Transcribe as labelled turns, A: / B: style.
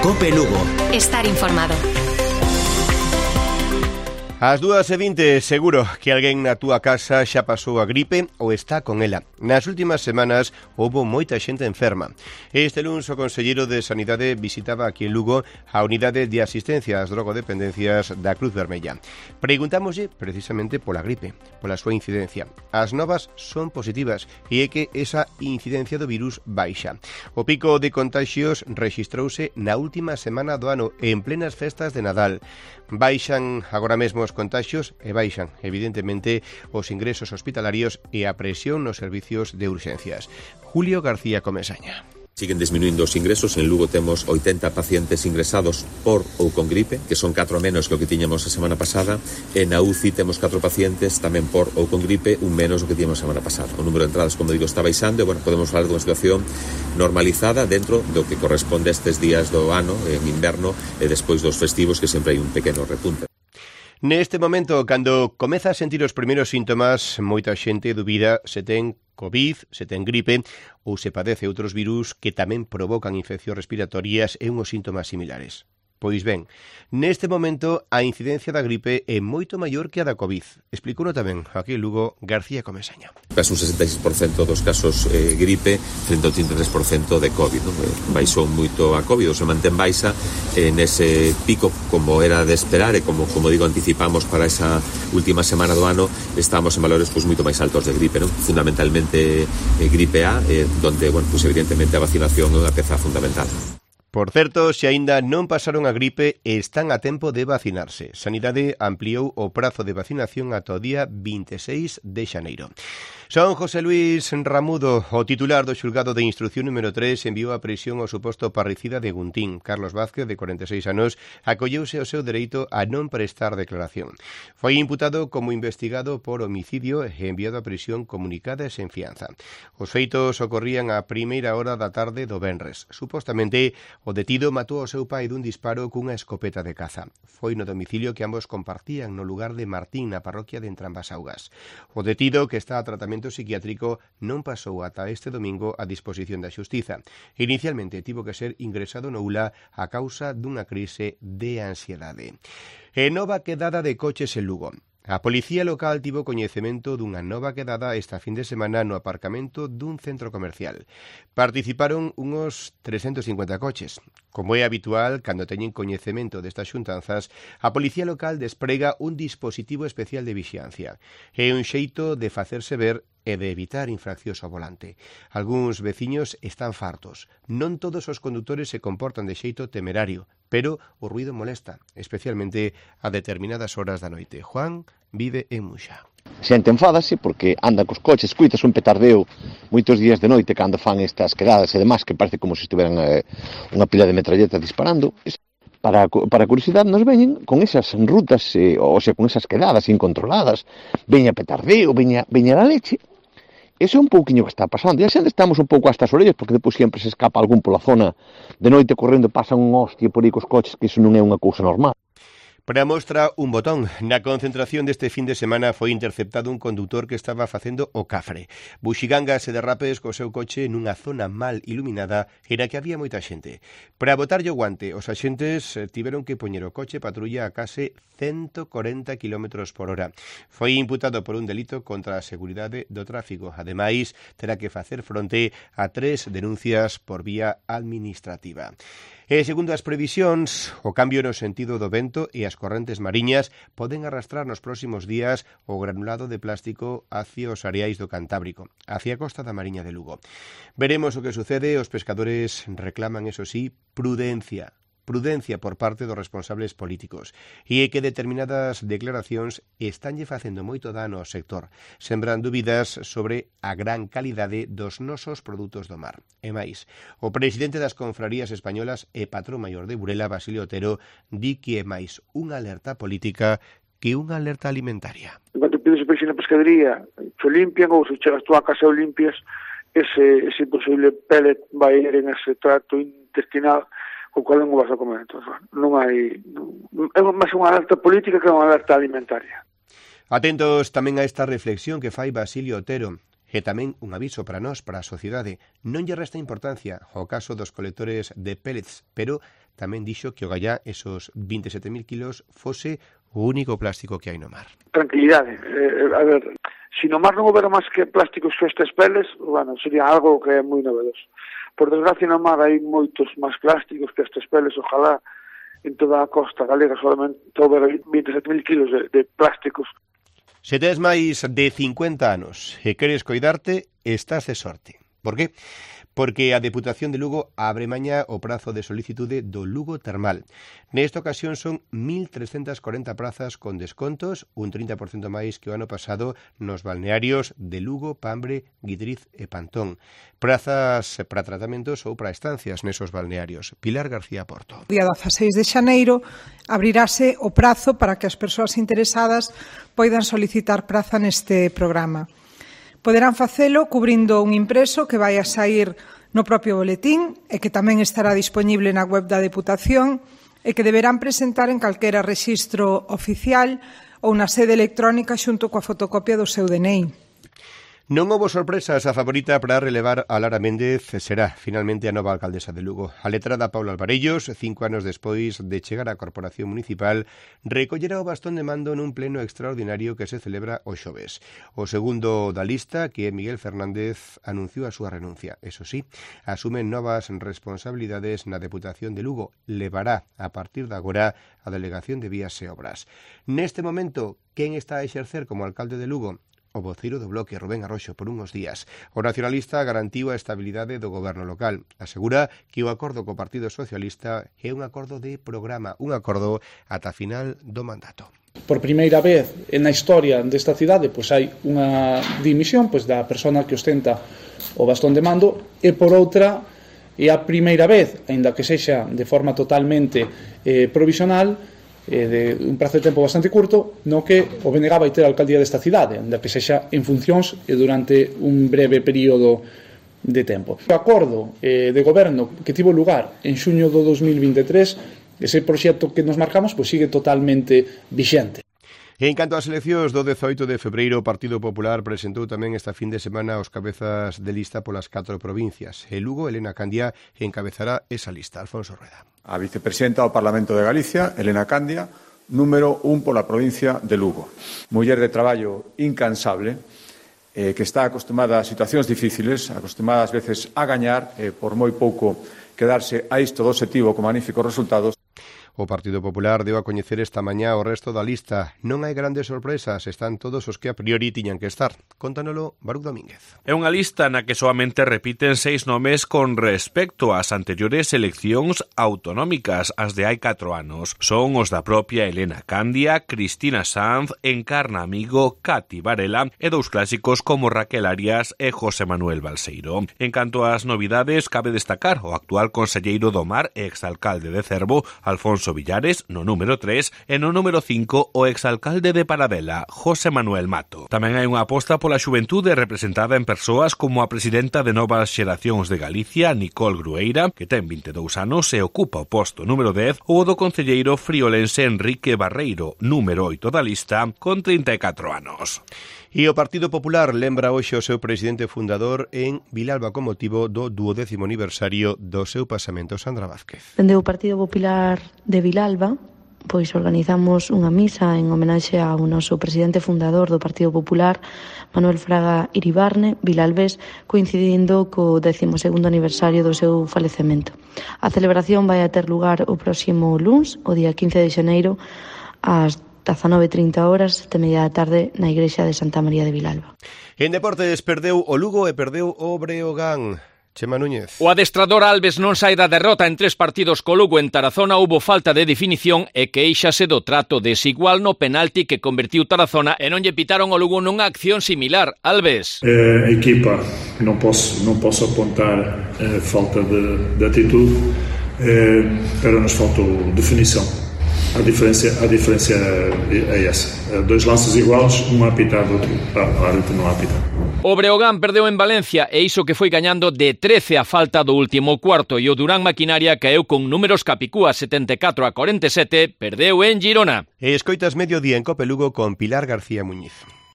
A: COPE Lugo.
B: Estar informado.
C: Ás 2:20, seguro que alguén na túa casa xa pasou a gripe ou está con ela. Nas últimas semanas houbo moita xente enferma. Este luns o conselleiro de Sanidade visitaba aquí en Lugo a unidade de asistencia ás drogodependencias da Cruz Vermella. Preguntámoslle precisamente pola gripe, pola súa incidencia. As novas son positivas e é que esa incidencia do virus baixa. O pico de contagios rexistrouse na última semana do ano en plenas festas de Nadal. Baixan agora mesmo os contagios e baixan, evidentemente, os ingresos hospitalarios e a presión nos servicios de urxencias. Julio García Comesaña.
D: Siguen disminuindo os ingresos. En Lugo temos 80 pacientes ingresados por ou con gripe, que son 4 menos que o que tiñamos a semana pasada. En a UCI temos 4 pacientes tamén por ou con gripe, un menos o que tiñamos a semana pasada. O número de entradas, como digo, está baixando e, bueno, podemos falar dunha situación normalizada dentro do que corresponde a estes días do ano, en inverno, e despois dos festivos, que sempre hai un pequeno repunte.
C: Neste momento, cando comeza a sentir os primeiros síntomas, moita xente dubida se ten COVID, se ten gripe ou se padece outros virus que tamén provocan infeccións respiratorias e unhos síntomas similares. Pois ben, neste momento a incidencia da gripe é moito maior que a da COVID. Explicouno tamén aquí en Lugo García Comesaña.
D: Casi un 66% dos casos gripe frente ao 33% de COVID. Non? Baixou moito a COVID, ou se mantén baixa nese pico como era de esperar e como digo, anticipamos para esa última semana do ano, estamos en valores moito máis altos de gripe, non? Fundamentalmente gripe A, donde, bueno, evidentemente a vacinación é unha peza fundamental.
C: Por certo, se aínda non pasaron a gripe, están a tempo de vacinarse. Sanidade ampliou o prazo de vacinación ata o día 26 de xaneiro. Son José Luis Ramudo, o titular do xulgado de instrucción número 3, enviou a prisión ao suposto parricida de Guntín. Carlos Vázquez, de 46 anos, acolleuse ao seu dereito a non prestar declaración. Foi imputado como investigado por homicidio e enviado a prisión comunicada e sen fianza. Os feitos ocorrían a primeira hora da tarde do venres. Supostamente, o detido matou ao seu pai dun disparo cunha escopeta de caza. Foi no domicilio que ambos compartían no lugar de Martín, na parroquia de Entrambasaugas. O detido, que está a tratamento psiquiátrico, non pasou ata este domingo a disposición da xustiza. Inicialmente tivo que ser ingresado no ULA a causa dunha crise de ansiedade. E nova quedada de coches en Lugo. A Policía Local tivo coñecemento dunha nova quedada esta fin de semana no aparcamento dun centro comercial. Participaron unos 350 coches. Como é habitual, cando teñen coñecemento destas xuntanzas, a Policía Local desprega un dispositivo especial de vixiancia. É un xeito de facerse ver e de evitar infraccións ao volante. Algúns veciños están fartos. Non todos os condutores se comportan de xeito temerario, pero o ruido molesta, especialmente a determinadas horas da noite. Juan vive en Muxa.
E: Xente enfádase porque anda cos coches, escuitas un petardeo moitos días de noite cando fan estas quedadas e demás, que parece como se estiveran unha pila de metralletas disparando. Para curiosidade nos veñen con esas rutas, ou sea, con esas quedadas incontroladas, veña petardeo, veña a leche. Eso é un pouquiño que está pasando. E a xente estamos un pouco hasta as orellas, porque depois sempre se escapa algún pola zona de noite correndo, pasa un hostia por aí cos coches, que iso non é unha cousa normal.
C: Para mostra un botón, na concentración deste fin de semana foi interceptado un condutor que estaba facendo o cafre. Buxigangas e derrapes co seu coche nunha zona mal iluminada e na que había moita xente. Para botarlle o guante, os axentes tiveron que poñer o coche patrulla a case 140 km por hora. Foi imputado por un delito contra a seguridade do tráfico. Ademais, terá que facer fronte a 3 denuncias por vía administrativa. E, segundo as previsións, o cambio no sentido do vento e as correntes mariñas poden arrastrar nos próximos días o granulado de plástico hacia os areais do Cantábrico, hacia a costa da Mariña de Lugo. Veremos o que sucede. Os pescadores reclaman, eso sí, prudencia por parte dos responsables políticos e é que determinadas declaracións estanlle facendo moito dano ao sector, sembran dúbidas sobre a gran calidade dos nosos produtos do mar. E máis, o presidente das confrarías españolas e patrón maior de Burela, Basilio Otero, di que é máis unha alerta política que unha alerta alimentaria.
F: Cando pides o peixe na pescadería, se limpian, ou se chegas tú a casa o limpias, ese posible pellet vai ir en ese trato intestinal o cual non o vas a comer. Entón, non hai... É máis unha alerta política que unha alerta alimentaria.
C: Atentos tamén a esta reflexión que fai Basilio Otero. E tamén un aviso para nós, para a sociedade. Non lle resta importancia ao caso dos colectores de pellets, pero tamén dixo que o gallá esos 27.000 kilos fose o único plástico que hai no mar.
F: Tranquilidade. A ver, se no mar non houbera máis que plásticos que estas peles, bueno, sería algo que é moi novedoso. Por desgracia, no mar hai moitos máis plásticos que estas peles, ojalá en toda a costa galega solamente houbera 27.000 kilos de plásticos.
C: Se tes máis de 50 anos e queres coidarte, estás de sorte. Por qué? Porque a Deputación de Lugo abre mañá o prazo de solicitude do Lugo Termal. Nesta ocasión son 1.340 prazas con descontos, un 30% máis que o ano pasado nos balnearios de Lugo, Pambre, Guidriz e Pantón. Prazas para tratamentos ou para estancias nesos balnearios. Pilar García Porto.
A: O día 16 de xaneiro abrirase o prazo para que as persoas interesadas poidan solicitar praza neste programa. Poderán facelo cubrindo un impreso que vai a sair no propio boletín e que tamén estará dispoñible na web da Deputación e que deberán presentar en calquera rexistro oficial ou na sede electrónica xunto coa fotocopia do seu DNI.
C: Non houbo sorpresas, a favorita para relevar a Lara Méndez será finalmente a nova alcaldesa de Lugo. A letrada Paula Alvarellos, 5 anos despois de chegar á Corporación Municipal, recollera o bastón de mando nun pleno extraordinario que se celebra o xoves. O segundo da lista, que é Miguel Fernández, anunciou a súa renuncia. Eso sí, asume novas responsabilidades na Deputación de Lugo. Levará, a partir de agora, a Delegación de Vías e Obras. Neste momento, quen está a exercer como alcalde de Lugo? O voceiro do Bloque, Rubén Arroxo, por unhos días. O nacionalista garantiu a estabilidade do goberno local. Asegura que o acordo co Partido Socialista é un acordo de programa, un acordo ata final do mandato.
B: Por primeira vez na historia desta cidade hai unha dimisión da persona que ostenta o bastón de mando e por outra é a primeira vez, aínda que sexa de forma totalmente provisional, de un prazo de tempo bastante curto, no que o BNG vai ter a alcaldía desta cidade, onde que sexa en funcións e durante un breve período de tempo. O acordo de goberno que tivo lugar en xuño do 2023, ese proxecto que nos marcamos sigue totalmente vixente.
C: En canto ás eleccións do 18 de febreiro, o Partido Popular presentou tamén esta fin de semana os cabezas de lista polas 4 provincias. En Lugo, Elena Candia encabezará esa lista. Alfonso Rueda.
G: A vicepresidenta do Parlamento de Galicia, Elena Candia, número 1 pola provincia de Lugo. Muller de traballo incansable, que está acostumada a situacións difíciles, acostumada ás veces a gañar, por moi pouco quedarse a isto do obxectivo con magníficos resultados.
C: O Partido Popular deu a coñecer esta mañá o resto da lista. Non hai grandes sorpresas, están todos os que a priori tiñan que estar. Contándolo Baruch Domínguez.
H: É unha lista na que soamente repiten 6 nomes con respecto ás anteriores eleccións autonómicas, as de hai 4 anos. Son os da propia Elena Candia, Cristina Sanz, Encarna Amigo, Cati Varela e dous clásicos como Raquel Arias e José Manuel Balseiro. En canto ás novidades, cabe destacar o actual conselleiro do Mar e exalcalde de Cervo, Alfonso Villares, no número 3, e no número 5 o exalcalde de Paradela, José Manuel Mato. Tamén hai unha aposta pola xuventude representada en persoas como a presidenta de Novas Xeracións de Galicia, Nicole Grueira, que ten 22 anos e ocupa o posto número 10, ou o do concelleiro friolense Enrique Barreiro, número 8 da lista, con 34 anos.
C: E o Partido Popular lembra hoxe o seu presidente fundador en Vilalba con motivo do 20º aniversario do seu pasamento. Sandra Vázquez.
I: Dende o Partido Popular de Vilalba, organizamos unha misa en homenaxe ao noso presidente fundador do Partido Popular, Manuel Fraga Iribarne, vilalbés, coincidindo co 12º aniversario do seu falecemento. A celebración vai a ter lugar o próximo luns, o día 15 de xaneiro, ás 19:30 horas, 7:30 da tarde, na igrexa de Santa María de Vilalba.
C: En deportes perdeu o Lugo e perdeu o Breogán. Chema Núñez.
J: O adestrador Alves non sai da derrota en 3 partidos co Lugo en Tarazona. Houbo falta de definición e queixase do trato desigual no penalti que convertiu Tarazona e non lle pitaron ao Lugo nunha acción similar. Alves.
K: A equipa non posso apontar falta de atitude, pero nos faltou definição. A diferença é essa. 2 lances iguais, um a apitar, outro árbitro non apita.
J: O Breogán perdeu en Valencia e iso que foi gañando de 13 a falta do último cuarto, e o Durán Maquinaria caeu con números capicúa 74-47, perdeu en Girona.
C: E escoitas Mediodía en Cope Lugo con Pilar García Muñiz.